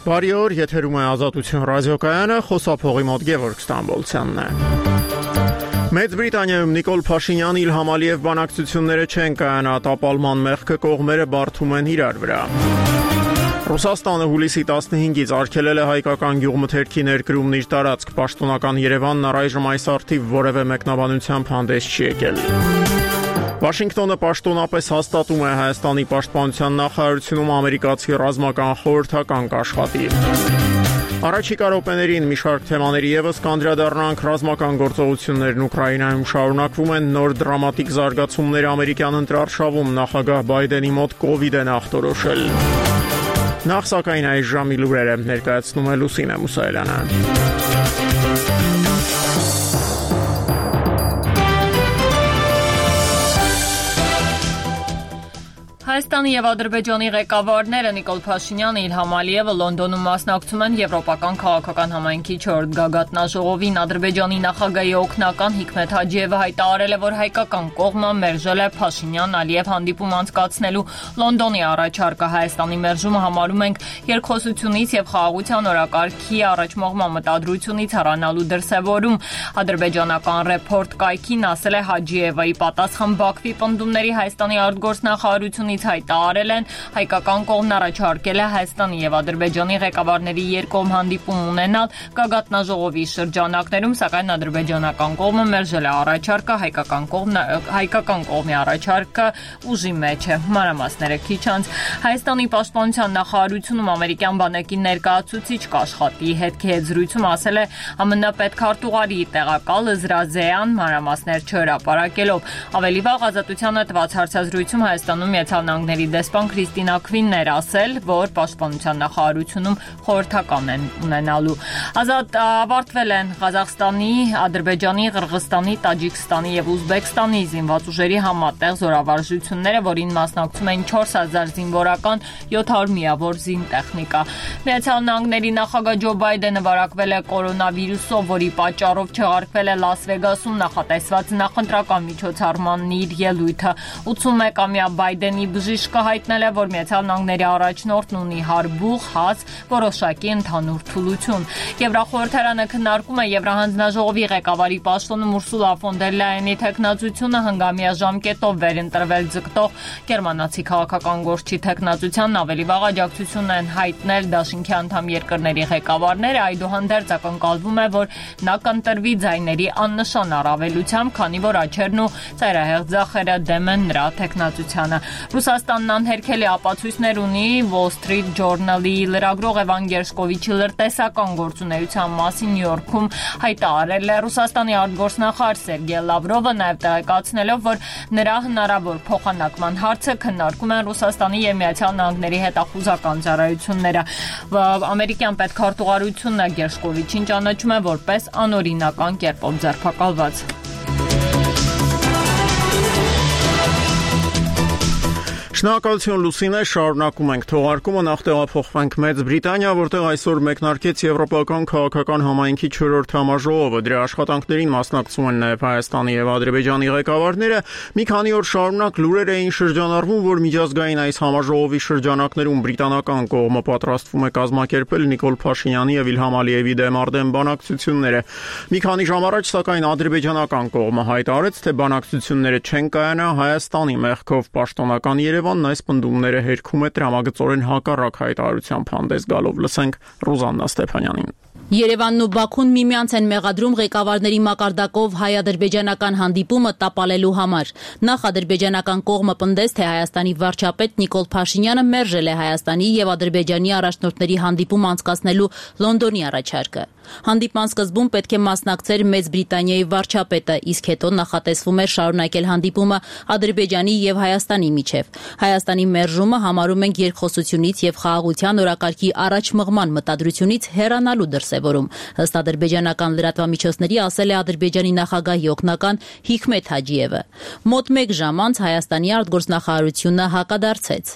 Բարի օր, եթերում է Ազատություն ռադիոկայանը, խոսափողի մոտ Գևորգ Ստամբոլցյանն է։ Մեծ Բրիտանիայում Նիկոլ Փաշինյան Իլհամ Ալիև բանակցությունները չեն կայանա, տապալման մեղքը կողմերը բարդում են իրար վրա։ Ռուսաստանը հուլիսի 15-ից արգելել է հայկական գյուղմթերքի ներկրումն իր տարածք, պաշտոնական Երևանն առայժմ այս առթիվ որևէ մեկնաբանությամբ հանդես չի եկել։ Վաշինգտոնը պաշտոնապես հաստատում է Հայաստանի պաշտպանության նախարարությունում ամերիկացի ռազմական խորհրդական կաշխատի։ Առաջիկա րոպեներին մի շարք թեմաների ևս կանդրադառնանք, ռազմական գործողություններն Ուկրաինայում շարունակվում են, նոր դրամատիկ զարգացումներ ամերիկյան ընտրարշավում, նախագահ Բայդենի մոտ կովիդ են ախտորոշել։ Նախ սակայն այս ժամի լուրերը ներկայացնում է Լուսինե Մուսայելյանը։ Հայաստանի և Ադրբեջանի ղեկավարները Նիկոլ Փաշինյանը, Իլհամ Ալիևը Լոնդոնում մասնակցում են Եվրոպական քաղաքական համայնքի 4-րդ գագաթնաժողովին։ Ադրբեջանի նախագահի օգնական Հիկմեթ Հաջիևը հայտարարել է, որ հայկական կողմը մերժել է Փաշինյան-Ալիև հանդիպում անցկացնելու Լոնդոնի առաջարկը։ Հայաստանի մերժումը համարում ենք երկխոսությունից և խաղաղության օրակարգի առաջմողման մտադրությունից հեռանալու դրսևորում։ Ադրբեջանական Ռեփորտ կայքին ասել է Հաջիևը։ Ի պատասխան Բաքվի պնդումների Հայաստանի արտգործնախարարությունից հայտարարել են, հայկական կողմն առաջարկել է Հայաստանի և Ադրբեջանի ղեկավարների երկկողմ հանդիպում ունենալ գագաթնաժողովի շրջանակներում, սակայն ադրբեջանական կողմը մերժել է առաջարկը, հայկական կողմի առաջարկը ուժի մեջ է։ Մանրամասները քիչ անց Հայաստանի պաշտպանության նախարարությունում ամերիկյան բանակի ներկայացուցիչ կաշխատի հետքի հետ զրույցում ասել է ԱՄՆ պետքարտուղարի տեղակալ Զրազեան, մանրամասներ չհրապարակելով։ Ավելի վաղ Ազատությանը տված հարցազրույցում Հայաստանում Միացյալ Նահանգների դեսպան Քրիստինա Քվինն էր ասել, որ պաշտպանության նախարարությունում խորհրդական են ունենալու։ Ավարտվել են Ղազախստանի, Ադրբեջանի, Қырғызստանի, Տաջիկստանի և Ուզբեկստանի զինված ուժերի համատեղ զորավարժությունները, որին մասնակցում էին 4000 զինվորական, 700 միավոր զինտեխնիկա։ Միացյալ Նահանգների նախագահ Ջո Բայդենը վարակվել է կորոնավիրուսով, որի պատճառով չեղարկվել է Լաս Վեգասում նախատեսված նախընտրական միջոցառմանն իր ելույթը։ 81-ամյա Բայդենի բժիշկը հայտնել է, որ Միացյալ Նահանգների առաջնորդն ունի հարբուխ, հաց, որոշակի ընդհանուր թուլություն։ Եվրախորհրդարանը քննարկում է Եվրահանձնաժողովի ղեկավարի պաշտոնում Ուրսուլա ֆոն դեր Լայենի թեկնածությունը հնգամյա ժամկետով վերընտրվել ձգտող գերմանացի քաղաքական գործչի թեկնածությանն ավելի վաղ աջակցություն են հայտնել դաշինքի անդամ երկրների ղեկավարները, այդուհանդերձ ակնկալվում է, որ նա կընտրվի ձայների աննշան առավելությամբ, քանի որ աչերն ու ծայրահեղ ձախերը դեմ են նրա թեկնածությանը։ Ռուսաստանն անհերքելի ապացույցներ ունի Wall Street Journal-ի լրագրող Էվան Գերշկովիչի լրտեսական գործունեության մասին Նյու Յորքում հայտարարել է Ռուսաստանի արտգործնախարար Սերգեյ Լավրովը, նաև տեղեկացնելով, որ նրա հնարավոր փոխանակման հարցը քննարկում են Ռուսաստանի և Միացյալ Նահանգների հետախուզական ծառայությունները։ Ամերիկյան պետքարտուղարությունը Գերշկովիչին ճանաչում է որպես անօրինական կերպով ձերբակալված։ Շնորհակալություն Լուսինե, շարունակում ենք թողարկումը, նախ տեղափոխվենք Մեծ Բրիտանիա, որտեղ այսօր մեկնարկեց Եվրոպական քաղաքական համայնքի 4-րդ համաժողովը։ Դրա աշխատանքներին մասնակցում են նաև Հայաստանի և Ադրբեջանի ղեկավարները։ Մի քանի օր շարունակ լուրեր էին շրջանառվում, որ միջազգային այս համաժողովի շրջանակներում բրիտանական կողմը պատրաստվում է կազմակերպել Նիկոլ Փաշինյանի և Իլհամ Ալիևի դեմ արդեն բանակցությունները։ Մի քանի ժամ առաջ, սակայն ադրբեջանական կողմը հայտարարեց, թե բանակցությունները չեն կայանա, Հայաստանի մեղքով պաշտոնական Երևանն այս պնդումները հերքում է տրամագծորեն հակառակ հայտարարությամբ հանդես գալով։ Լսենք Ռուզաննա Ստեփանյանին։ Երևանն ու Բաքուն միմյանց են մեղադրում ղեկավարների մակարդակով հայ-ադրբեջանական հանդիպումը տապալելու համար։ Նախ ադրբեջանական կողմը պնդեց, թե Հայաստանի վարչապետ Նիկոլ Փաշինյանը մերժել է Հայաստանի և Ադրբեջանի առաջնորդների հանդիպում անցկացնելու Լոնդոնի առաջարկը։ Հանդիպման սկզբում պետք է մասնակցեր Մեծ Բրիտանիայի վարչապետը, իսկ հետո նախատեսվում էր շարունակել հանդիպումը Ադրբեջանի և Հայաստանի միջև։ Հայաստանի մերժումը համարում ենք երկխոսությունից և խաղաղության օրակարգի առաջմղման մտադրությունից հեռանալու դրսևորում։ Ըստ ադրբեջանական լրատվամիջոցների ասել է Ադրբեջանի նախագահի օգնական Հիկմեթ Հաջիևը։ Մոտ 1 ժամ անց Հայաստանի արտգործնախարարությունը հակադարձեց։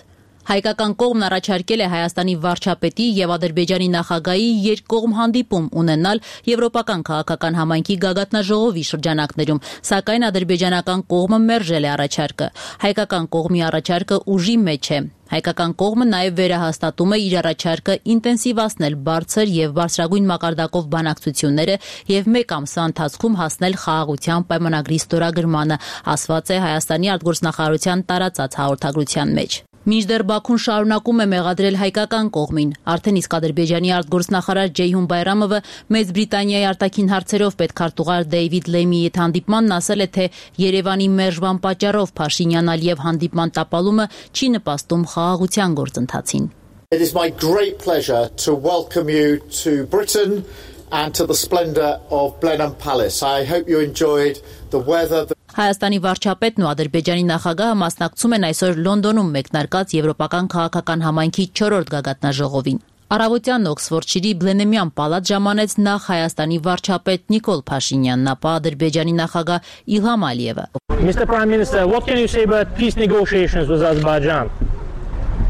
Հայկական կողմն առաջարկել է Հայաստանի վարչապետի եւ Ադրբեջանի նախագահի երկկողմ հանդիպում ունենալ եվրոպական քաղաքական համայնքի գագաթնաժողովի շրջանակներում, սակայն ադրբեջանական կողմը մերժել է առաջարկը։ Հայկական կողմի առաջարկը ուժի մեջ է։ Հայկական կողմը նաև վերահաստատում է իր առաջարկը ինտենսիվացնել բարձր եւ բարձրագույն մակարդակով բանակցությունները եւ մեկ ամսվա ընթացքում հասնել խաղաղության պայմանագրի ստորագրմանը, ասված է Հայաստանի արտգործնախարարության տարածած հաղորդագրության մեջ։ Մինչդեռ Բաքուն շարունակում է մեղադրել հայկական կողմին, արդեն իսկ Ադրբեջանի արտգործնախարար Ջեյհուն Բայրամովը Մեծ Բրիտանիայի արտաքին հարցերով պետքարտուղար Դեյվիդ Լեմիի հետ հանդիպմանն ասել է, թե Երևանի մերժման պատճառով Փաշինյան-Ալիև հանդիպման տապալումը չի նպաստում խաղաղության գործընթացին։ It is my great pleasure to welcome you to Britain and to the splendor of Blenheim Palace. I hope you enjoyed the weather. Հայաստանի վարչապետն ու Ադրբեջանի նախագահը մասնակցում են այսօր Լոնդոնում մեկնարկած Եվրոպական քաղաքական համայնքի 4-րդ գագաթնաժողովին։ Առավոտյան Օքսֆորդշիրի Բլենհեմյան պալատ ժամանեց նախ Հայաստանի վարչապետ Նիկոլ Փաշինյանն, ապա Ադրբեջանի նախագահ Իլհամ Ալիևը։ Mr. Prime Minister, what can you say about peace negotiations with Azerbaijan?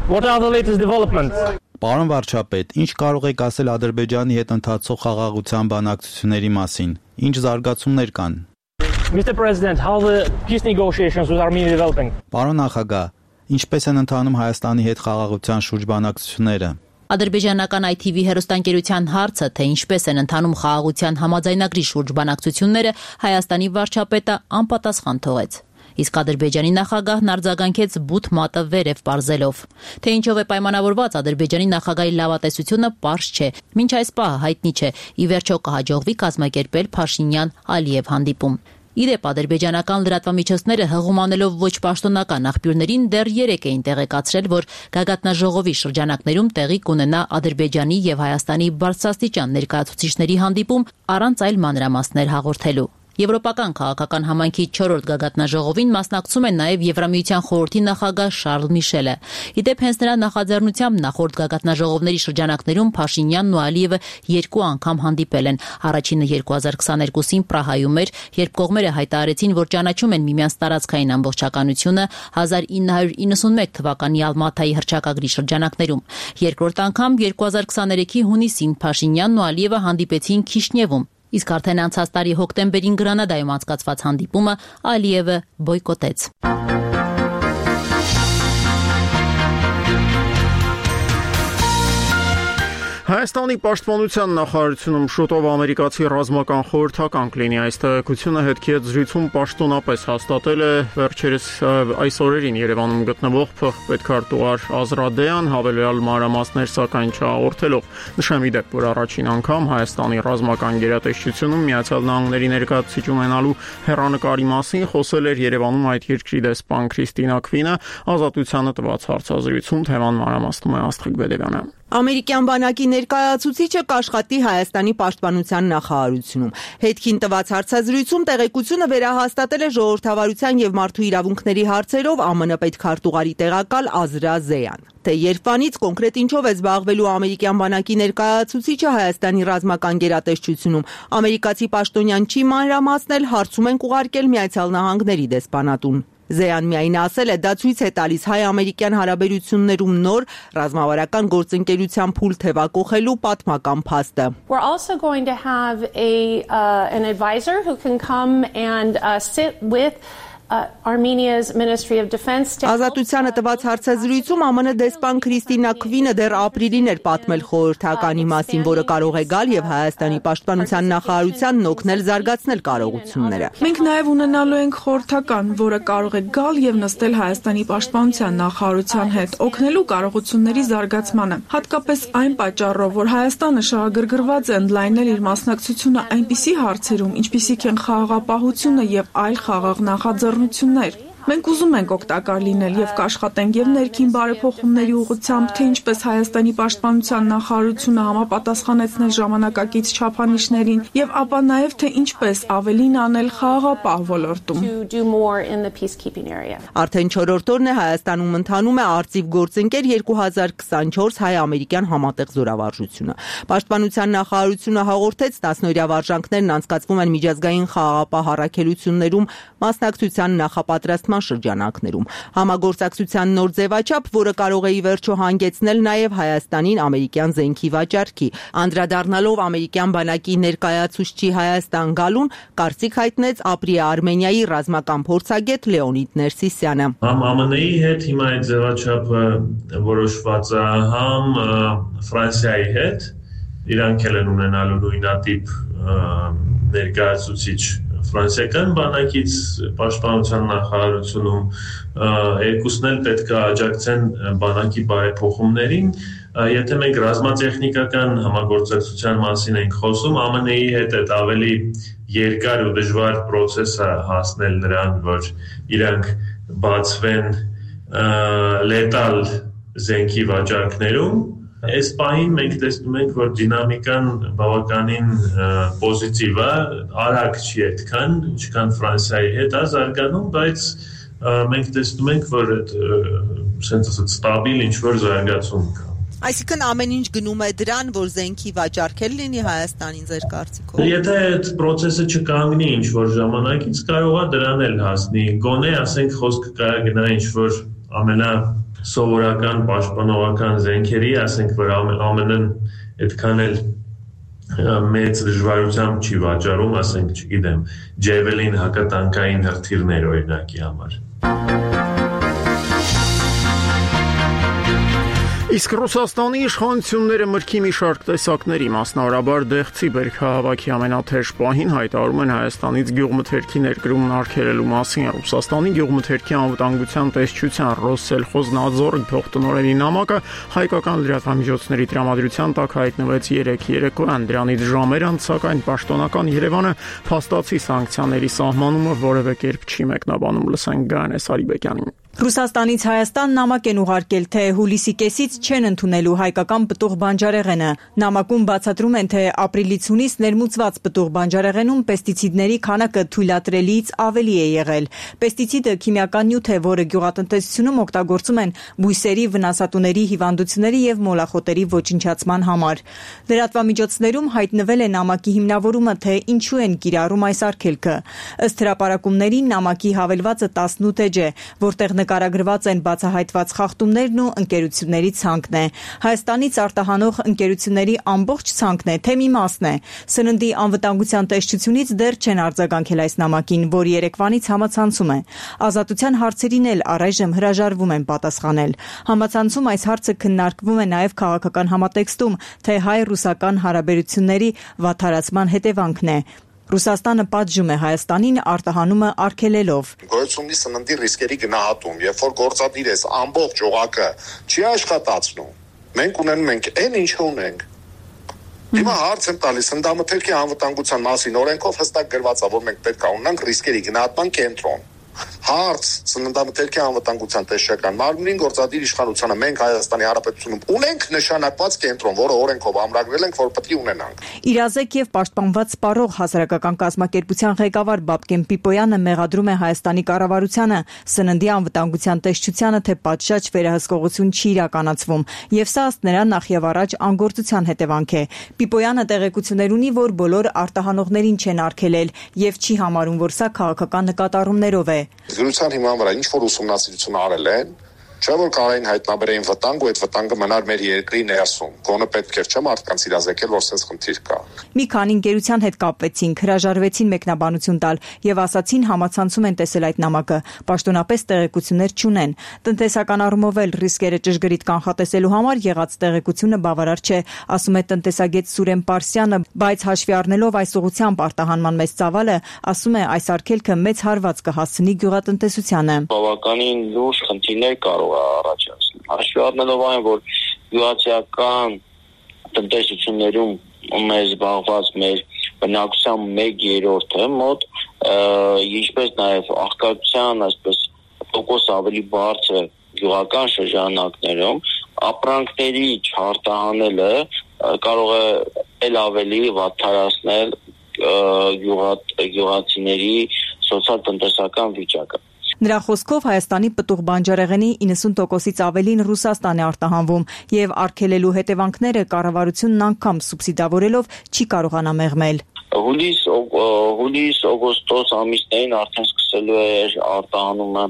What are the latest developments? Պարոն վարչապետ, ինչ կարող եք ասել Ադրբեջանի հետ ընթացող խաղաղության բանակցությունների մասին։ Ինչ զարգացումներ կան։ Mr. President, how the peace negotiations with Armenia developing? Պարոն նախագահ, ինչպես են ընթանում Հայաստանի հետ խաղաղության շուրջ բանակցությունները։ Ադրբեջանական ITV հեռուստաընկերության հարցը, թե ինչպես են ընթանում խաղաղության համաձայնագրի շուրջ բանակցությունները, Հայաստանի վարչապետը անպատասխան թողեց։ Իսկ Ադրբեջանի նախագահն արձագանքեց բութ մատը վերև պարզելով։ Թե ինչով է պայմանավորված Ադրբեջանի նախագահի լավատեսությունը, պարզ չէ։ Մինչ այս պահը հայտնի չէ, ի վերջո կհաջողվի կազմակերպել Փաշինյան-Ալիև հանդիպում։ Իդեպ ադրբեջանական լրատվամիջոցները հղումանելով ոչ պաշտոնական աղբյուրներին դեռ 3 էին տեղեկացրել, որ գագաթնաժողովի շրջանակներում տեղի կունենա Ադրբեջանի եւ Հայաստանի բարձրաստիճան ներկայացուցիչների հանդիպում առանց այլ մանրամասներ հաղորդելու։ Եվրոպական քաղաքական համայնքի 4-րդ գագաթնաժողովին մասնակցում է նաև Եվրամիության խորհրդի նախագահ Շարլ Միշելը։ Իդեպ հենց նրա նախաձեռնությամբ նախորդ գագաթնաժողովների շրջանակներում Փաշինյանն ու Ալիևը 2 անգամ հանդիպել են։ Առաջինը 2022-ին Պրահայում էր, երբ կողմերը հայտարարեցին, որ ճանաչում են միմյանց տարածքային ամբողջականությունը 1991 թվականի Ալմաթայի հռչակագրի շրջանակներում։ Երկրորդ անգամ 2023-ի հունիսին Փաշինյանն ու Ալիևը հանդիպեցին Քիշնևում։ Իսկ արդեն անցած տարի հոկտեմբերին Գրանադայում անցկացված հանդիպումը Ալիևը բոյկոտեց։ Հայաստանի պաշտպանության նախարարությունում շուտով ամերիկացի ռազմական խորհրդական կլինի։ Այս տեղեկությունը հետքի հետ զրույցում պաշտոնապես հաստատել է վերջերս այս օրերին Երևանում գտնվող փոխպետքարտուղար Ազրադեան, հավելյալ մանրամասներ սակայն չհաղորդելով։ Նշեմ ի դեպ, որ առաջին անգամ Հայաստանի ռազմական գերատեսչությունում Միացյալ Նահանգների ներկայացուցիչ ունենալու հեռանկարի մասին խոսել էր Երևանում այդ երկրի դեսպան Քրիստինա Քվինը, Ազատությանը տված հարցազրույցում թեման մանրամասնում է Աստղիկ Բեդևյանը։ Ամերիկյան բանակի ներկայացուցիչը կաշխատի Հայաստանի պաշտպանության նախարարությունում։ Հետքին տված հարցազրույցում տեղեկությունը վերահաստատել է ժողովրդավարության եւ մարդու իրավունքների հարցերով ԱՄՆ պետքարտուղարի տեղակալ Ազրա Զեյան։ Թե երբանից կոնկրետ ինչով է զբաղվելու ամերիկյան բանակի ներկայացուցիչը Հայաստանի ռազմական գերատեսչությունում, ամերիկացի պաշտոնյան չի մանրամասնել, հարցում են ուղարկել Միացյալ Նահանգների դեսպանատուն։ Զեյան միայն ասել է, դա ցույց է տալիս հայ-ամերիկյան հարաբերություններում նոր ռազմավարական գործընկերության փուլ թևակողելու պատմական փաստը։ We're also going to have an advisor who can come and sit with Armenia's Ministry of Defense. Ազատությանը տված հարցազրույցում ԱՄՆ դեսպան Քրիստինա Քվինը դեռ ապրիլին էր պատմել խորհրդականի մասին, որը կարող է գալ եւ Հայաստանի պաշտպանության նախարարությանն օգնել զարգացնել կարողությունները։ Մենք նաեւ ունենալու ենք խորհրդական, որը կարող է գալ եւ նստել Հայաստանի պաշտպանության նախարարության հետ, օգնելու կարողությունների զարգացմանը։ Հատկապես այն պատճառով, որ Հայաստանը շահագրգռված է ընդլայնել իր մասնակցությունը այնպիսի հարցերում, ինչպիսիք են խաղաղապահությունը եւ այլ խաղաղ նախաձեռնություններ։ Մենք ուզում ենք օգտակար լինել եւ կաշխատենք եւ ներքին բարեփոխումների ուղղությամբ, թե ինչպես Հայաստանի պաշտպանության նախարարությունը համապատասխանեցնել ժամանակակից չափանիշներին եւ ապա նաեւ թե ինչպես ավելին անել խաղաղապահ ոլորտում։ Արդեն 4-րդ օրն է Հայաստանում ընթանում է արծիվ գործընկեր 2024 հայ-ամերիկյան համատեղ զորավարժությունը։ Պաշտպանության նախարարությունը հաղորդեց 10-օրյա վարժանքներն անցկացվում են միջազգային խաղաղապահ առաքելություններում մասնակցության նախապատրաստման արտահանման շրջանակներում։ Համագործակցության նոր ձևաչափ, որը կարող է ի վերջո հանգեցնել նաև Հայաստանին ամերիկյան զենքի վաճառքի։ Անդրադառնալով ամերիկյան բանակի ներկայացուցչի Հայաստան գալուն, կարծիք հայտնեց ապրի Արմենիայի ռազմական փորձագետ Լեոնիդ Ներսիսյանը։ Համ ԱՄՆ-ի հետ հիմա այդ ձևաչափը որոշված է, համ Ֆրանսիայի հետ, իրանք էլ են ունենալու նույնատիպ ներկայացուցիչ ֆրանսիական բանակից պաշտպանության նախարարությունում, երկուսն էլ պետք է աջակցեն բանակի բարեփոխումներին։ Եթե մենք ռազմատեխնիկական համագործակցության մասին ենք խոսում, ԱՄՆ-ի հետ այդ ավելի երկար ու դժվար process է հասնել նրան, որ իրանք բացվեն լետալ զենքի վաճառքներում։ Այս պահին մենք տեսնում ենք, որ դինամիկան բավականին պոզիտիվ է, արագ չի այդքան, ինչքան Ֆրանսիայի հետ է զարգանում, բայց մենք տեսնում ենք, որ այդ ստաբիլ ինչ-որ զարգացում կա։ Այսինքն ամեն ինչ գնում է դրան, որ զենքի վաճառքել լինի Հայաստանին ձեր կարծիքով։ Եթե այդ process-ը չկանգնի ինչ-որ ժամանակից, կարող է դրան էլ հասնի։ Գոնե, ասենք, խոսքը կարա գնա ինչ-որ ամենասովորական պաշտպանողական զենքերի, ասենք, որ ԱՄՆ-ն այդքան էլ մեծ դժվարությամբ չի վաճառում, ասենք, չգիտեմ, Javelin հակատանկային հրթիռներ օրինակի համար։ Իսկ Ռուսաստանի իշխանությունները մրգի մի շարք տեսակների, մասնավորաբար դեղցի բերքահավաքի ամենաթեժ պահին հայտարարում են Հայաստանից գյուղմթերքի ներկրումն արգելելու մասին։ Ռուսաստանի գյուղմթերքի անվտանգության տեսչության Ռոսսելխոզնadzor փոխտնօրենի նամակը հայկական լրատվամիջոցների տրամադրության տակ հայտնվեց երեկոյան։ Դրանից ժամեր անց, սակայն պաշտոնական Երևանը փաստացի սանկցիաների սահմանումը որևէ կերպ չի մեկնաբանում։ Լսենք Գայանե Սարիբեկյանին։ Ռուսաստանից Հայաստան նամակ են ուղարկել, թե հուլիսի կեսից չեն ընդունելու հայկական պտուղ բանջարեղենը։ Նամակում բացատրում են, թե ապրիլից հունիս ներմուծված պտուղ բանջարեղենում պեստիցիդների քանակը թույլատրելիից ավելի է եղել։ Պեստիցիդը քիմիական նյութ է, որը գյուղատնտեսությունում օգտագործում են բույսերի, վնասատուների հիվանդությունների եւ մոլախոտերի ոչնչացման համար։ Լրատվամիջոցներում հայտնվել է նամակի հիմնավորումը, թե ինչու են կիրառում այս արգելքը։ Ըստ հրապարակումների նամակի հավելվածը 18 էջ է, որտեղ նկարագրված են բացահայտված խախտումներն ու ընկերությունների ցանկն է։ Հայաստանից արտահանող ընկերությունների ամբողջ ցանկն է, թե մի մասն է։ Սննդի անվտանգության տեսչությունից դեռ չեն արձագանքել այս նամակին, որ երեկվանից համացանցում է։ Ազատության հարցերին էլ առայժմ հրաժարվում են պատասխանել։ Համացանցում այս հարցը քննարկվում է նաև քաղաքական համատեքստում, թե հայ-ռուսական հարաբերությունների վատթարացման հետևանքն է։ Ռուսաստանը պատժում է Հայաստանին արտահանումը արգելելով։ Գոյությունի սննդի ռիսկերի գնահատում, երբ որ գործադիր ես ամբողջ օղակը չի աշխատացնում, մենք ունենում ենք այն ինչը ունենք։ Հիմա հարց եմ տալիս սննդամթերքի անվտանգության մասին օրենքով հստակ գրված է, որ մենք պետք է ունենանք ռիսկերի գնահատման կենտրոն։ Հարց սննդամթերքի անվտանգության տեսչական մարմնին գործադիր իշխանությանը մենք Հայաստանի Հանրապետությունում ունենք նշանակված կենտրոն, որը օրենքով ամրագրել ենք, որ պետք է ունենանք։ Իրազեկ եւ պաշտպանված սպառող հասարակական կազմակերպության ղեկավար Բաբկեն Պիպոյանը մեղադրում է Հայաստանի կառավարությանը սննդի անվտանգության տեսչությանը, թե պատշաճ վերահսկողություն չի իրականացվում, եւ սա ըստ նրա նախ եւ առաջ անգործության հետևանք է։ Պիպոյանը տեղեկություններ ունի, որ բոլոր արտահանողներին չեն արգելել եւ չի համարում, որ սա քաղաքական նկատառումներով է։ Զրույցան հիման վրա ինչ որ ուսումնասիրություն արել են, չէ՞ որ կարային հայտնաբերեին վտանգ ու այդ վտանգը մնար մեր երկրի ներսում։ Գոնե պետք էր չէ՞ մարդկանց իրազեկել, որ sense խնդիր կա։ Մի քանի ընկերության հետ կապվեցինք, հրաժարվեցին մեկնաբանություն տալ եւ ասացին համացանցում են տեսել այդ նամակը, պաշտոնապես տեղեկություններ չունեն։ Տնտեսական առումով էլ ռիսկերը ճշգրիտ կանխատեսելու համար եղած տեղեկությունը բավարար չէ, ասում է տնտեսագետ Սուրեն Պարսյանը, բայց հաշվի առնելով այս ուղղությամբ արտահանման մեծ ծավալը, ասում է այս արգելքը մեծ հարված կհասցնի գյուղատնտեսությանը։ Բավականին լուրջ խնդիրներ կարող առաջացնել։ Հաշվի առնելով այն, որ գյուղացիական տնտեսություններում մեր զբաղված մեր բնակության 1/3-ը մոտ, ինչպես նաև աղքատության, այսպես տոկոս ավելի բարձր գյուղական շրջանակներում ապրանքների չարտահանելը կարող է ել ավելի վատթարացնել գյուղացիների սոցիալ-տնտեսական վիճակը։ Նրա խոսքով Հայաստանի պտուղ բանջարեղենի 90%-ից ավելին Ռուսաստան է արտահանվում եւ արգելելու հետևանքները կառավարությունն անգամ սուբսիդավորելով չի կարողանա մեղմել։ Հուլիս օգոստոս ամիսներին արդեն սկսելու է արտահանումը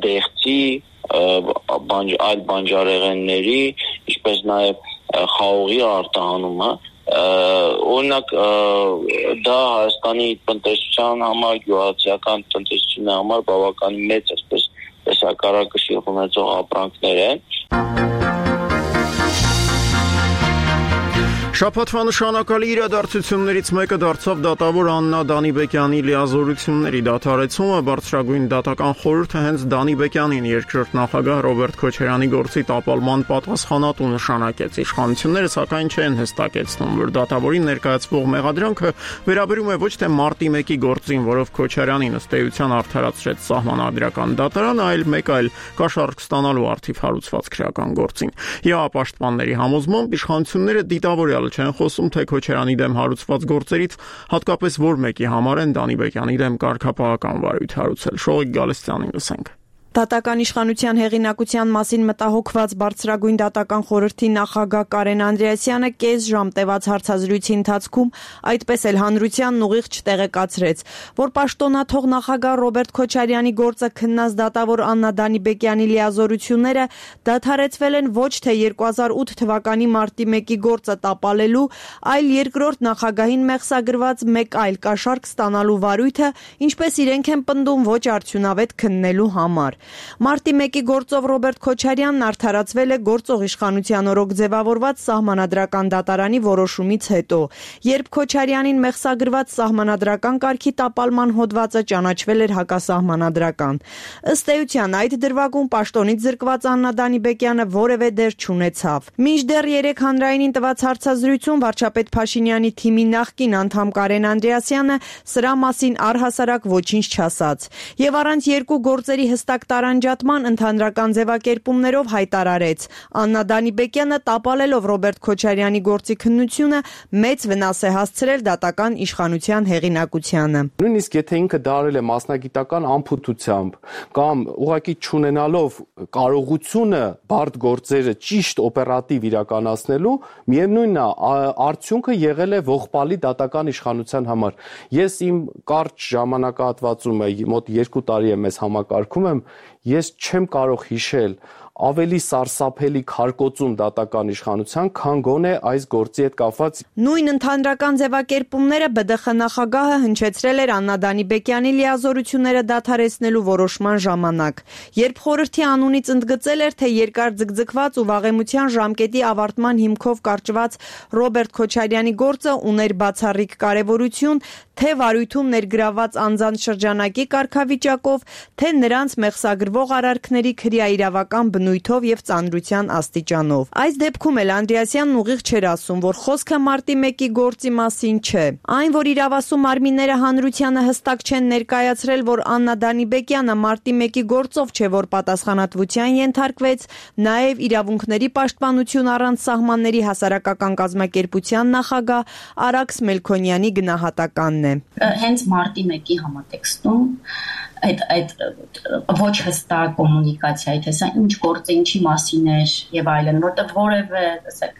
դեղցի, այլ բանջարեղենների, ինչպես նաև խաղողի արտահանումը, օրինակ դա Հայաստանի տնտեսության համար, գյուղացիական տնտեսության համար բավականին մեծ այսպես տեսակարակշիռ ունեցող ապրանքներ են։ Շաբաթվա նշանակալի իրադարձություններից մեկը դարձավ դատավոր Աննա Դանիբեկյանի լիազորությունների դադարեցումը։ Բարձրագույն դատական խորհուրդը հենց Դանիբեկյանին երկրորդ նախագահ Ռոբերտ Քոչարյանի գործի տապալման պատասխանատու նշանակեց։ Իշխանությունները սակայն չեն հստակեցնում, որ դատավորին ներկայացվող մեղադրանքը վերաբերում է ոչ թե մարտի 1-ի գործին, որով Քոչարյանին ըստ էության արդարացրեց սահմանադրական դատարանը, այլ մեկ այլ կաշառք ստանալու արդիվ հարուցված քրեական գործին։ ԵԱ պաշտպանների համոզմամբ իշխանությունները դիտավորյալ չեն խոսում թե Քոչարյանի դեմ հարուցված գործերից, հատկապես որ մեկի համար են Դանիբեկյանի դեմ կարգապահական վարույթ հարուցել։ Շողիկ Գալստյանին լսենք։ Դատական իշխանության հեղինակության մասին մտահոգված Բարձրագույն դատական խորհրդի նախագահ Կարեն Անդրեասյանը կես ժամ տևած հարցազրույցի ընթացքում այդպես էլ հանրությանն ուղիղ չտեղեկացրեց, որ պաշտոնաթող նախագահ Ռոբերտ Քոչարյանի գործը քննած դատավոր Աննա Դանիբեկյանի լիազորությունները դադարեցվել են ոչ թե 2008 թվականի մարտի 1-ի գործը տապալելու, այլ երկրորդ նախագահին մեղսագրված մեկ այլ կաշառք ստանալու վարույթը, ինչպես իրենք են պնդում, ոչ արդյունավետ քննելու համար։ Մարտի 1-ի գործով Ռոբերտ Քոչարյանն արդարացվել է գործող իշխանության օրոք ձևավորված սահմանադրական դատարանի որոշումից հետո, երբ Քոչարյանին մեղսագրված սահմանադրական կարգի տապալման հոդվածը ճանաչվել էր հակասահմանադրական։ Ըստ էության այդ դրվագում պաշտոնից զրկված Աննա Դանիբեկյանը որևէ դեր չունեցավ։ Մինչդեռ 3 հանրայինին տված հարցազրույցում վարչապետ Փաշինյանի թիմի նախկին անդամ Կարեն Անդրեասյանը սրա մասին առհասարակ ոչինչ չասաց եւ առանց երկու գործերի հստակ տարանջատման ընդհանրական ձևակերպումներով հայտարարեց. Աննա Դանիբեկյանը տապալելով Ռոբերտ Քոչարյանի գործի քննությունը մեծ վնաս է հասցրել դատական իշխանության հեղինակությանը։ Նույնիսկ եթե ինքը դարել է մասնագիտական անփութությամբ կամ ուղղակի չունենալով կարողությունը բարդ գործերը ճիշտ օպերատիվ իրականացնելու, միևնույնն է, արդյունքը եղել է ողբալի դատական իշխանության համար։ Ես իմ կարճ ժամանակահատվածում մոտ 2 տարի եմ ես համակարգում եմ, ես չեմ կարող հիշել ավելի սարսափելի քարկոծում դատական իշխանության, քան գոնե այս գործի հետ կապված։ Նույն ընդհանրական ձևակերպումները ԲԴԽ նախագահը հնչեցրել էր Աննա Դանիբեկյանի լիազորությունները դադարեցնելու որոշման ժամանակ, երբ խորհրդի անունից ընդգծել էր, թե երկար ձգձգված ու վաղեմության ժամկետի ավարտման հիմքով կարճված Ռոբերտ Քոչարյանի գործը ուներ բացառիկ կարևորություն, թե վարույթում ներգրավված անձանց շրջանակի կարգավիճակով, թե նրանց մեղսագրվող արարքների քրեաիրավական բնույթով եւ ծանրության աստիճանով։ Այս դեպքում էլ Անդրեասյանն ուղիղ չէր ասում, որ խոսքը մարտի 1-ի գործի մասին չէ։ Այն, որ իրավասու մարմինները հանրությանը հստակ չեն ներկայացրել, որ Աննա Դանիբեկյանը մարտի 1-ի գործով չէ, որ պատասխանատվության ենթարկվեց, նաեւ իրավունքների պաշտպանություն առանց սահմանների հասարակական կազմակերպության նախագահ Արաքս Մելքոնյանի գնահատականն է։ Հենց մարտի 1-ի համատեքստում այդ ոչ հստակ կոմունիկացիայի, թե սա ինչ գործ է, ինչի մասին էր եւ այլն, որտեղ որևէ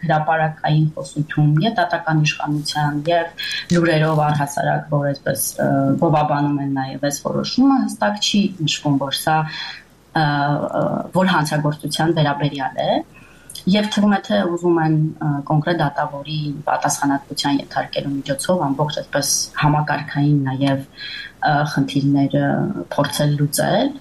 հրապարակային խոսություն եւ դատական իշխանության եւ լուրերով առհասարակ, որ այսպես բովաբանում են նաեւ այս որոշումը, հստակ չի նշվում, որ սա որ հանցագործության վերաբերյալ է։ Եվ թվում է, թե ուզում են կոնկրետ դատավորի պատասխանատվության ենթարկելու միջոցով ամբողջ այսպես համակարգային նաև խնդիրները փորձել լուծել։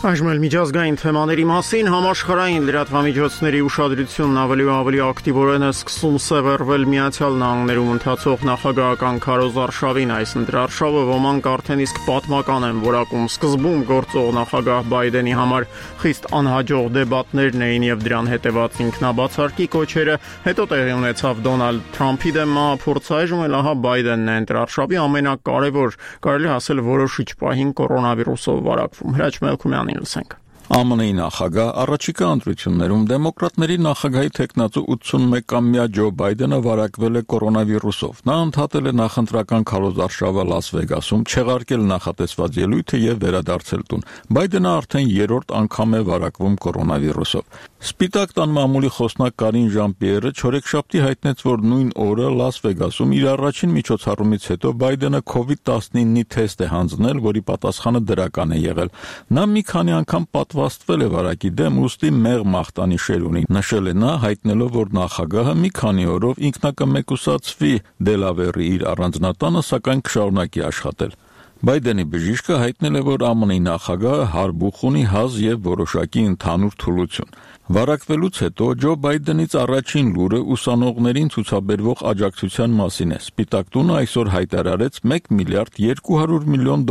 Այժմ էլ միջազգային թեմաների մասին համաշխարհային լրատվամիջոցների ուշադրությունն ավելի ու ավելի ակտիվորեն է սկսում սևեռվել Միացյալ Նահանգներում ընթացող նախագահական քարոզարշավին։ Այս ընտրարշավը ոմանք արդեն իսկ պատմական են որակում։ Սկզբում գործող նախագահ Բայդենի համար խիստ անհաջող դեբատներն էին եւ դրան հետեւած ինքնաբացարկի կոչերը, հետո տեղի ունեցավ Դոնալդ Թրամփի դեմ մահափորձ, այժմ էլ ահա Բայդենն է ընտրարշավի ամենակարևոր, կարելի ասել որոշիչ պահին կորոնավիրուսով վարակվում։ Հրաչ Մելքումյանին լսենք։ ԱՄՆ-ի նախագահ առաջիկա ընտրություններում դեմոկրատների նախագահի թեկնածու 81-ամյա Ջո Բայդենը վարակվել է կորոնավիրուսով։ Նա ընդհատել է նախընտրական քարոզարշավը Լաս Վեգասում, չեղարկել նախատեսված ելույթը եւ վերադարձել տուն։ Բայդենը արդեն երրորդ անգամ է վարակվում կորոնավիրուսով։ Սպիտակ տան մամուլի խոսնակ Կարին Ժան-Պիերը չորեքշաբթի հայտնեց, որ նույն օրը Լաս Վեգասում իր առաջին միջոցառումից հետո Բայդենը COVID-19-ի թեստ է հանձնել, որի պատասխանը դրական է եղել։ Նա մի քանի անգամ պատվաստվել է վարակի դեմ, ուստի մեղմ մաղթանիշեր ունի, նշել է նա, հայտնելով, որ նախագահը մի քանի օրով ինքնակմեկուսացվի Դելավերի իր առանձնատանը, սակայն կշարունակի աշխատել։ Բայդենի բժիշկը հայտնել է, որ ԱՄՆ-ի նախագահը հարբուխ ունի հազ եւ որոշակի ընդհանուր թուլություն։ Վարակվելուց հետո Ջո Բայդենից առաջին լուրը ուսանողներին ցուցաբերվող աջակցության մասին է։ Սպիտակ տունը այսօր հայտարարեց $1 միլիարդ 200 միլիոն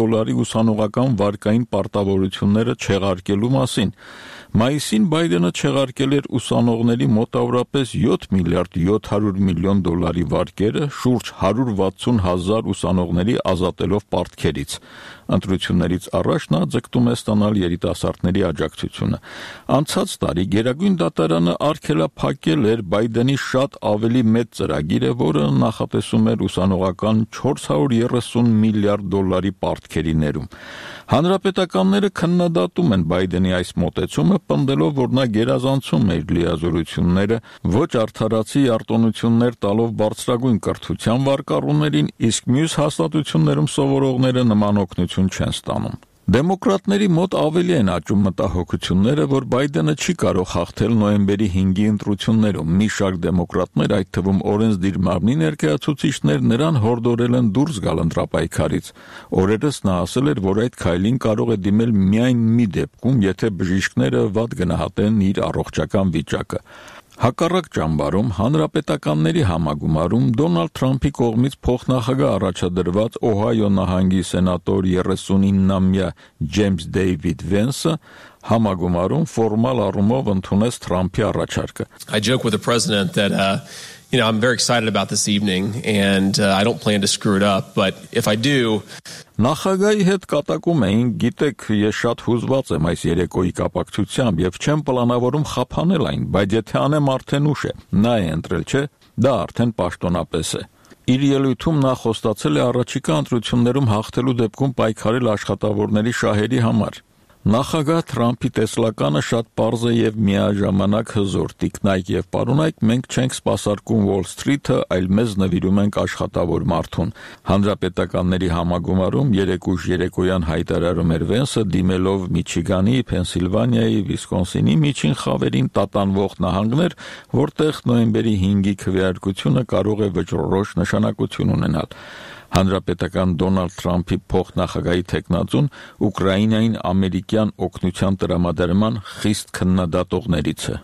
ուսանողական վարկային պարտավորությունները չեղարկելու մասին։ Մայիսին Բայդենը չեղարկել էր ուսանողների մոտավորապես $7 միլիարդ 700 միլիոն վարկերը, շուրջ 160,000 ուսանողների ազատելով պարտքերից։ Ընտրություններից առաջ նա ձգտում է ստանալ երիտասարդների աջակցությունը։ Անցած տարի Գերագույն դատարանը արգելափակել էր Բայդենի շատ ավելի մեծ ծրագիրը, որը նախատեսում էր ուսանողական $430 միլիարդ պարտքերի ներում։ Հանրապետականները քննադատում են Բայդենի այս մոտեցումը, պնդելով, որ նա գերազանցում է իր լիազորությունները, ոչ արդարացի արտոնություններ տալով բարձրագույն կրթության վարկառուներին, իսկ մյուս հաստատություններում սովորողները նման օգնություն չեն ստանում։ Դեմոկրատների մոտ ավելի են աճում մտահոգությունները, որ Բայդենը չի կարող հաղթել նոյեմբերի 5-ի ընտրություններում։ Մի շարք դեմոկրատներ, այդ թվում օրենսդիր մարմնի ներկայացուցիչներ, նրան հորդորել են դուրս գալ ընտրապայքարից։ Օրերս նա ասել էր, որ այդ քայլին կարող է դիմել միայն մի դեպքում, եթե բժիշկները վատ գնահատեն իր առողջական վիճակը։ Հակառակ ճամբարում հանրապետականների համագումարում Դոնալդ Թրամփի կողմից փոխնախագահ առաջադրված Օհայո նահանգի սենատոր 39-ամյա Ջեյմս Դեյվիդ Վենսը համագումարում ֆորմալ առումով ընդունեց Թրամփի առաջարկը։ I joke with the president that I'm very excited about this evening and I don't plan to screw it up, but if I do Նախագահի հետ կատակում էին, գիտեք, ես շատ հուզված եմ այս երեկոյի կապակցությամբ եւ չեմ պլանավորում խափանել այն, բայց եթե անեմ արդեն ուշ է։ Նա է ընտրել, չէ՞, դա արդեն պաշտոնապես է։ Իր ելույթում նա խոստացել է առաջիկա ընտրություններում հաղթելու դեպքում պայքարել աշխատավորների շահերի համար։ Նախագահ Թրամփի տեսլականը շատ պարզ է եւ միաժամանակ հզոր։ Տիկնայք եւ պարոնայք, մենք չենք սպասարկում Wall Street-ը, այլ մեզ նվիրում ենք աշխատավոր մարդուն։ Հանրապետականների համագումարում երեկույթ երեկոյան հայտարարում էր Վենսը, դիմելով Միչիգանի, Փենսիլվանիայի, Վիսկոնսինի միջին խավերին տատանվող նահանգներ, որտեղ նոյեմբերի 5-ի քվեարկությունը կարող է վճռորոշ նշանակություն ունենալ։ Հանրապետական Դոնալդ Թրամփի փոխնախագահի թեկնածուն Ուկրաինային ամերիկյան օգնության տրամադրման խիստ քննադատողներից է։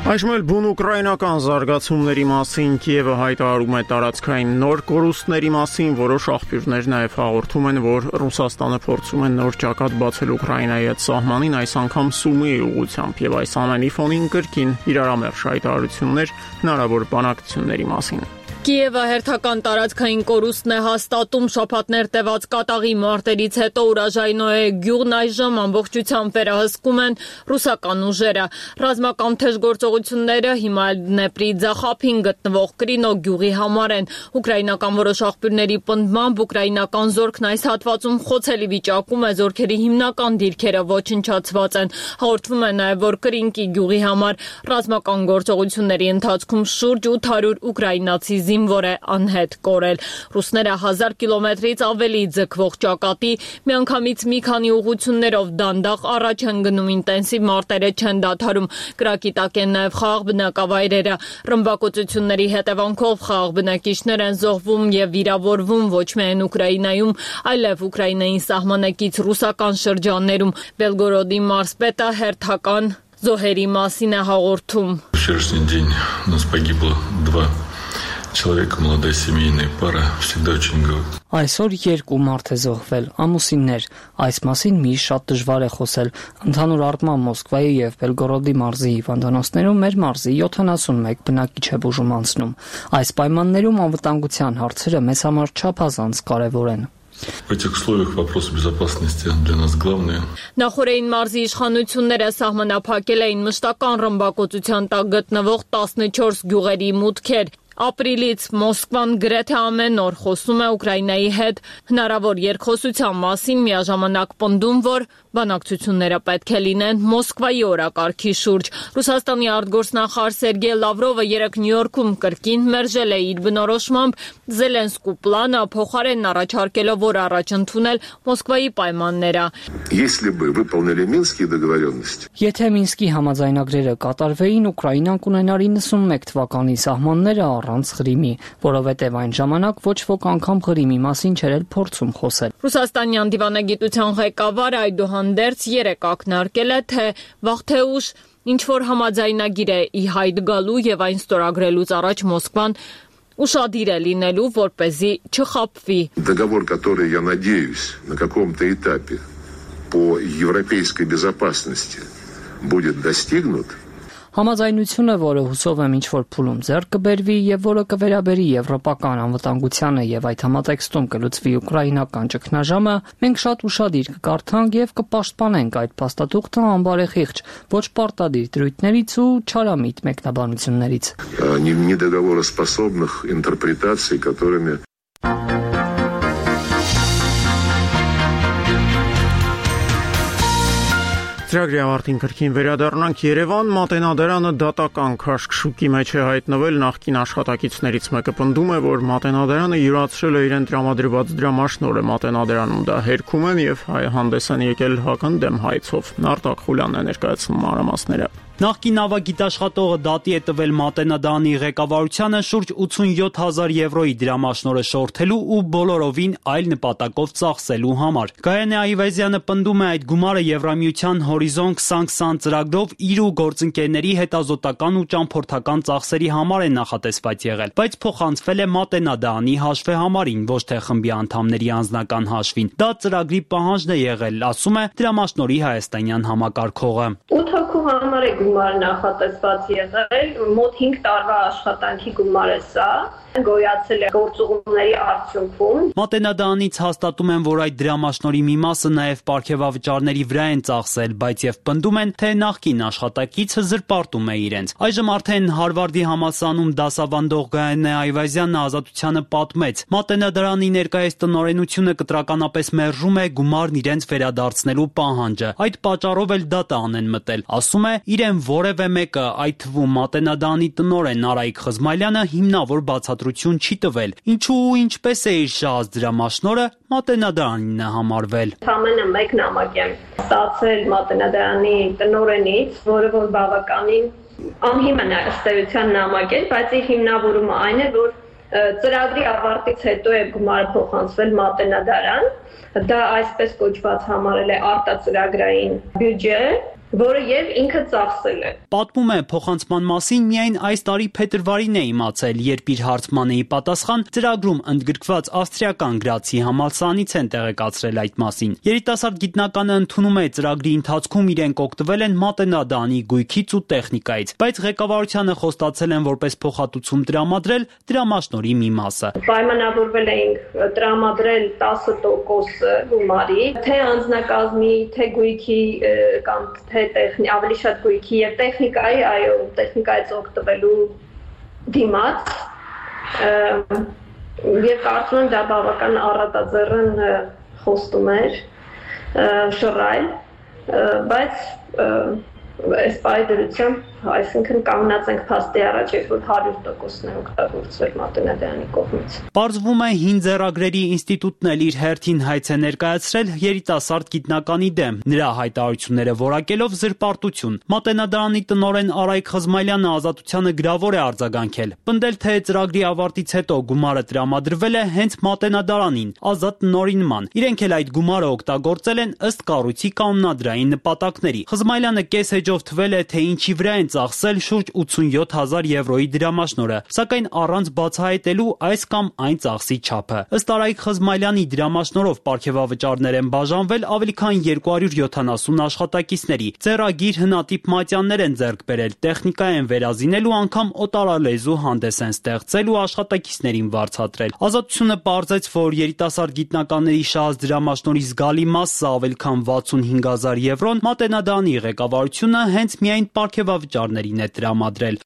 Այժմ էլ բուն ուկրաինական զարգացումների մասին Կիևը հայտարարում է տարածքային նոր կորուստների մասին, որոշ աղբյուրներ նաև հաղորդում են, որ Ռուսաստանը փորձում է նոր ճակատ բացել Ուկրաինայի հետ սահմանին, այս անգամ Սումիի ուղղությամբ, եւ այս ամենի ֆոնին կրկին իրարամերժ հայտարարություններ հնարավոր բանակցությունների մասին։ Կիևը հերթական տարածքային կորուստն է հաստատում շաբաթներ տևած կատաղի մարտերից հետո Ուրաժայնոյե գյուղն այժմ ամբողջությամբ վերահսկում են ռուսական ուժերը։ Ռազմական թեժ գործողությունները հիմա Դնեպրի ձախափին գտնվող Կրինո գյուղի համար են։ Ուկրաինական որոշ աղբյուրների պնդմամբ ուկրաինական զորքն այս հատվածում խոցելի վիճակում է, զորքերի հիմնական դիրքերը ոչնչացված են։ Հաղորդվում է նաև, որ Կրինկի գյուղի համար ռազմական գործողությունների ընթացքում շուրջ 800 ուկրաինացի զինվոր է անհետ կորել։ Ռուսները 1000 կիլոմետրից ավելի ձգվող ճակատի միանգամից մի քանի ուղղություններով դանդաղ առաջ են գնում, ինտենսիվ մարտերը չեն դադարում։ Կրակի տակ են նաև խաղաղ բնակավայրերը։ Ռմբակոծությունների հետևանքով խաղաղ բնակիչներ են զոհվում եւ վիրավորվում ոչ միայն Ուկրաինայում, այլև Ուկրաինային սահմանակից ռուսական շրջաններում։ Բելգորոդի մարզպետը հերթական զոհերի մասին է հաղորդում։ Человек, молодая семейная пара, всегда очень говорит. Այսօր երկու մարդ է զոհվել, ամուսիններ։ Այս մասին միշտ շատ դժվար է խոսել։ Ընդհանուր առմամբ Մոսկվայի եւ Բելգորոդի մարզի հիվանդանոցներում մեր մարզի 71 բնակիչ է բուժում անցնում։ Այս պայմաններում անվտանգության հարցերը մեզ համար չափազանց կարեւոր են։ В этих условиях вопрос безопасности для нас главный. Նախորդային մարզի իշխանությունները սահմանափակել էին մշտական ռմբակոծության տակ գտնվող 14 գյուղերի մուտքեր։ Ապրիլից Մոսկվան գրեթե ամեն օր խոսում է Ուկրաինայի հետ հնարավոր երկխոսության մասին, միաժամանակ պնդում, որ բանակցությունները պետք է լինեն Մոսկվայի օրակարգի շուրջ։ Ռուսաստանի արտգործնախարար Սերգեյ Լավրովը երեկ Նյու Յորքում կրկին մերժել է իր բնորոշմամբ Զելենսկու պլանը, փոխարենն առաջարկելով, որ առաջ ընդունել Մոսկվայի պայմանները։ Եթե Մինսկի համաձայնագրերը կատարվեին, Ուկրաինան կունենար 91 թվականի սահմանները առանց Ղրիմի, որովհետև այն ժամանակ ոչ ոք անգամ Ղրիմի մասին չէր էլ փորձում խոսել։ Ռուսաստանյան դիվանագիտության ղեկավարը այդուհանդերձ երեկ ակնարկել է, թե վաղ թե ուշ ինչ-որ համաձայնագիր է ի հայտ գալու եւ այն ստորագրելուց առաջ Մոսկվան ուշադիր է լինելու, որպեսզի չխաբվի։ Договор, который, я надеюсь, на каком-то этапе по европейской безопасности будет достигнут. Համաձայնությունը, որը հուսով եմ ինչ-որ փուլում ձեռք կբերվի եւ որը կվերաբերի եվրոպական անվտանգությանը եւ այդ համատեքստում կլուծվի ուկրաինական ճգնաժամը, մենք շատ ուշադիր կկարդանք եւ կպաշտպանենք այդ փաստաթուղթը անբարեխիղճ, ոչ պարտադիր դրույթներից ու չարամիտ մեկնաբանություններից։ Недоговороспособных интерпретаций, которыми Ծրագրի ավարտին կրկին վերադառնանք Երևան, Մատենադարանը դատական քաշքշուկի մեջ է հայտնվել, նախկին աշխատակիցներից մեկը պնդում է, որ Մատենադարանը յուրացրել է իրեն տրամադրված դրամաշնորհը, Մատենադարանում դա հերքում են եւ հանդես են եկել հակընդդեմ հայցով։ Արտակ Խուլյանն է ներկայացնում մանրամասները։ Նախկին ավագիտաշխատողը դատի է տվել Մատենադարանի ղեկավարությանը շուրջ 87,000 եվրոյի դրամաշնորհը շորթելու ու բոլորովին այլ նպատակով ծախսելու համար։ Գայանե Այվազյանը պնդում է այդ գումարը Եվրամիության Հորիզոն 2020 ծրագրով իր ու գործընկերների հետազոտական ու ճամփորդական ծախսերի համար է նախատեսված եղել, բայց փոխանցվել է Մատենադարանի հաշվեհամարին, ոչ թե խմբի անդամների անձնական հաշվին։ Դա ծրագրի պահանջն է եղել, ասում է դրամաշնորհի հայաստանյան համակարգողը։ 8 հոգու համար է գումար նախատեսված եղել, մոտ 5 տարվա աշխատանքի գումար է սա, գոյացել է գործուղումների արդյունքում։ Մատենադարանից հաստատում են, որ այդ դրամաշնորհի մի մասը նաև պարգևավճարների վրա են ծախսել, բայց եւ պնդում են, թե նախկին աշխատակիցը զրպարտում է իրենց։ Այժմ արդեն Հարվարդի համալսարանում դասավանդող Գայանե Այվազյանը Ազատությանը պատմեց. Մատենադարանի ներկայիս տնօրենությունը կտրականապես մերժում է գումարն իրենց վերադարձնելու պահանջը։ Այդ պատճառով էլ դատան են մտել։ Ասում է, իրեն որևէ մեկը, այդ թվում Մատենադարանի տնօրեն Արայիկ Խզմալյանը հիմնավոր բացատրություն չի տվել։ Ինչու ու ինչպես է իր շահած դրամաշնորհը Մատենադարանին է համարվել։ Ամենը մեկ նամակ եմ ստացել Մատենադարանի տնօրենից, որը որ բավականին անհիմն է ըստ էության նամակ է, բայց իր հիմնավորումը այն է, որ ծրագրի ավարտից հետո է գումարը փոխանցվել Մատենադարան, դա այսպես կոչված համարել է արտածրագրային բյուջե, որը եւ ինքը ծախսել է։ Պատմում է, փոխանցման մասին միայն այս տարի փետրվարին է իմացել, երբ իր հարցմանեի պատասխան ծրագրում ընդգրկված ավստրիական Գրացի համալսարանից են տեղեկացրել այդ մասին։ Երիտասարդ գիտնականը ընդունում է ծրագրի ընթացքում իրենք օգտվել են Մատենադարանի գույքից ու տեխնիկայից, բայց ղեկավարությանը խոստացել են որպես փոխհատուցում տրամադրել դրամաշնորհի մի մասը։ Պայմանավորվել էինք տրամադրել 10% գումարի, թե անձնակազմի, թե գույքի կամ թե ավելի շատ գույքի եւ տեխնիկայի, այո, տեխնիկայից օգտվելու դիմաց եւ կարծում եմ դա բավական առատաձեռն խոստում էր շռայլ, բայց այս պայդրությամբ, այսինքն կանգնած ենք փաստի առաջ, որ 100%-ն է օգտագործվել Մատենադարանի կողմից։ Պարզվում է հին ձեռագրերի ինստիտուտն էլ իր հերթին հայց է ներկայացրել երիտասարդ գիտնականի դեմ, նրա հայտարարությունները որակելով զրպարտություն։ Մատենադարանի տնօրեն Արայիկ Խզմալյանը Ազատությանը գրավոր է արձագանքել, պնդել, թե ծրագրի ավարտից հետո գումարը տրամադրվել է հենց Մատենադարանին, ազատ տնօրինման։ Իրենք էլ այդ գումարը օգտագործել են ըստ կառույցի կանոնադրային նպատակների։ Խզմալյանը կես էջով թվել է, թե ինչի վրա են ծախսել շուրջ 87,000 եվրոյի դրամաշնորհը, սակայն առանց բացահայտելու այս կամ այն ծախսի չափը։ Ըստ Արայիկ Խզմայլյանի, դրամաշնորհով պարգևավճարներ են բաժանվել ավելի քան 270 աշխատակիցների։ Ձեռագիր, հնատիպ մատյաններ են ձեռք բերել, տեխնիկա են վերազինել ու անգամ օտարալեզու հանդես են ստեղծել ու աշխատակիցներին վարձատրել։ Ազատությունը պարզեց, որ երիտասարդ գիտնականների շահած դրամաշնորհի զգալի մասը, ավելի քան 65,000 եվրոն, Մատենադարանի ղեկավարությունը հենց միայն պարգևավճարներին է տրամադրել։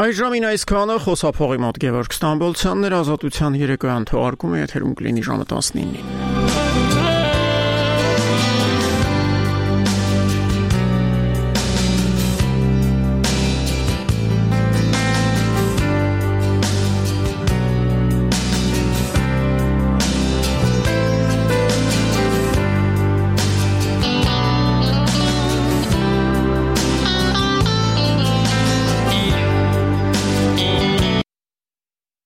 Այժմին այսքանը խոսափողի մոտ Գևորգ Ստամբոլցյանն էր, Ազատության երեկոյան թողարկումը եթերում կլինի ժամը 19-ին։